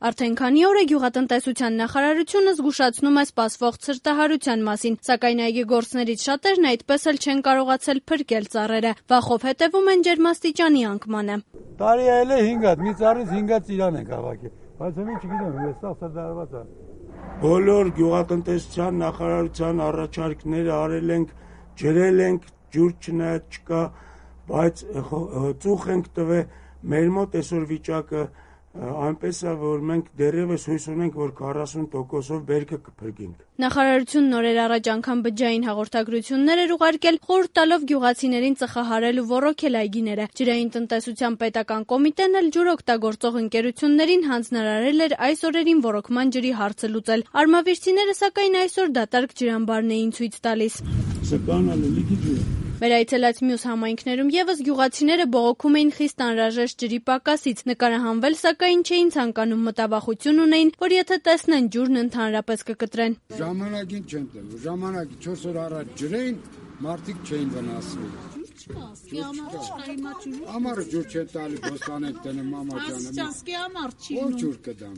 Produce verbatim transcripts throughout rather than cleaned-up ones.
Արդեն քանի օր է գյուղատնտեսության նախարարությունը զգուշացնում է սպասվող ցրտահարության մասին, սակայն այգեգործներից շատերն այդպես էլ չեն կարողացել փրկել ծառերը, վախով հետևում են ջերմաստիճանի անկմանը։ Տարի այլ է հինգ հատ, մի ծառից հինգ հատ ծիրան ենք հավաքել, բայց հիմա չգիտեմ, այստեղ ցրտահարված է։ Բոլոր գյուղատնտեսության նախարարության առաջարկները արել ենք, ջրել ենք, ջուր չնայած չկա, բայց ծուխ ենք տվել, մեր մոտ այսօր վիճակը այնպես է, որ մենք դեռևս հույս ունենք, որ քառասուն տոկոսով բերքը կփրկենք։ Նախարարությունն օրեր առաջ անգամ բջջային հաղորդագրություններ էր ուղարկել, խորհուրդ տալով գյուղացիներին ծխահարել ու ոռոգել այգիները։ Ջրային տնտեսության պետական կոմիտեն էլ ջուր օգտագործող ընկերություններին հանձնարարել էր այս օրերին ոռոգման ջրի հարցը լուծել։ Արմավիրցիները սակայն այսօր դատարկ ջրամբարն էին ցույց տալիս։ Մեր այցելած մյուս համայնքներում եւս գյուղացիները բողոքում էին խիստ անհրաժեշտ ջրի պակասից, նկարահանվել սակայն չէին ցանկանում, մտավախություն ունեին, որ եթե տեսնեն ջուրն ընդհանրապես կկտրեն։ Ժամանակին չեն տվել, ժամանակի չորս օր առաջ ջրեին, մարդիկ չէին վնասվել։ Ամառը ջուր չեն տալի, բոստանեք տնում մամաճանը։ Ո՞ր ջուր կդամ։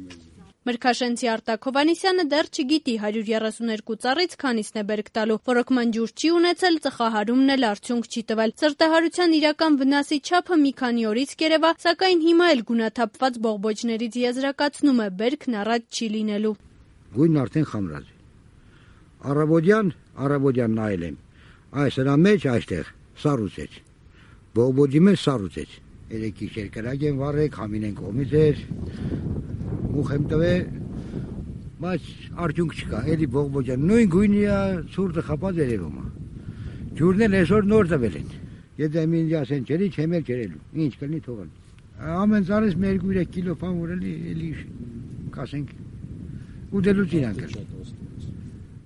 Մրգաշենցի Արտակ Հովհաննիսյանը դեռ չգիտի հարյուր երեսուն երկու ծառից քանիսն է բերք տալու, ոռոգման ջուր չի ունեցել, ծխահարումն էլ արդյունք չի տվել։ Ցրտահարության իրական վնասի չափը մի քանի օրից կերևա, սակայն հիմա էլ գունաթափված բողբոջներից եզրակացնում է բերքն առատ չի լինելու։ Գույնն արդեն խամրած է։ Առավոտյան, առավոտյան նայել եմ։ Այս հրա մեջ այստեղ սառուցեց։ Բողբոջի մեջ սառուցեց։ Երեք գիշեր կրակ են վառեք, համին են կողմից էր։ Ուխ եմ տվել, բայց արդյունք չկա, էլի բողբոջան, նույն գույնի է, ցուրտը խապած երևում է։ Ջուրն էլ այսօր նոր տվել են, եթե ինձ ասեն ջրի, չեմ էլ ջրելու, ինչ կլինի թողել։ Ամեն ծառից մի երկու երեք կիլո բան որելի, էլի կասենք, ուտելուց իրանք էլ։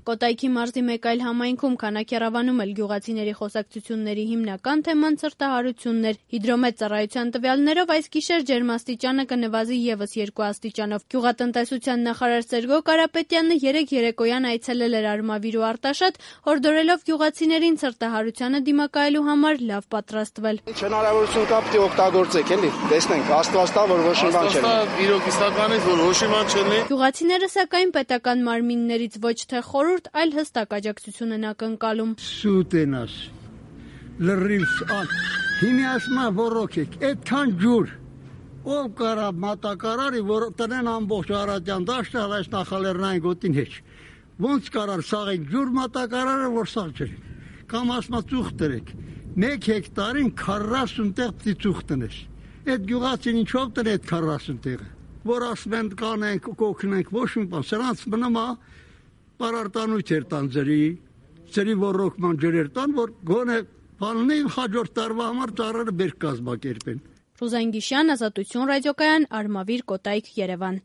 Կոտայքի մարզի մեկ այլ համայնքում Քանաքեռավանում էլ գյուղացիների խոսակցությունների հիմնական թեման ցրտահարությունն էր։ Հիդրոմետ ծառայության տվյալներով այս գիշեր ջերմաստիճանը կնվազի եւս երկու աստիճանով։ Գյուղատնտեսության նախարար Սերգո Կարապետյանը երեկ երեկոյան այցելել էր Արմավիր ու Արտաշատ, հորդորելով գյուղացիներին ցրտահարությանը դիմակայելու համար լավ պատրաստվել։ Ինչ հնարավորություն կա, պիտի օգտագործեք, էլի։ Տեսնենք, Աստված տա, որ ոչ մի բան չէ։ Աստված իրոք իսկականից, որ ոչ մի բան չէ։ Գյուղացիները սակայն պետական մարմիններից ոչ թե խորհուրդ, այլ հստակ աջակցություն են ակնկալում։ Սուտ են աս, լրիվ ան, հիմի ասմա ոռոգեք, այդքան ջուր, ով կարա մատակարարի, որ տնեն ամբողջ Արարատյան դաշտը, այս նախալեռնային գոտին հետ, ոնց կարար սաղեք ջուր մատակարարը, որ սաղ ջրի, կամ ասմա ծուխ տրեք, մեկ հեկտարին քառասուն տեղ պտի ծուխ տնես, այդ գյուղացին ինչով տնե այդ քառասուն տեղը, որ ասում են կանենք, կոքնենք, ոչ մի բան, սրանց մնում է Պարարտանույթ էր տան ջրի, ջրի ոռոգման ջրեր տան, որ գոնե բաննի հաջորդ տարվա համար ծառերը բերք կազմակերպեն։ Ռուզան Գիշյան, Ազատություն ռադիոկայան, Արմավիր, Կոտայք, Երևան։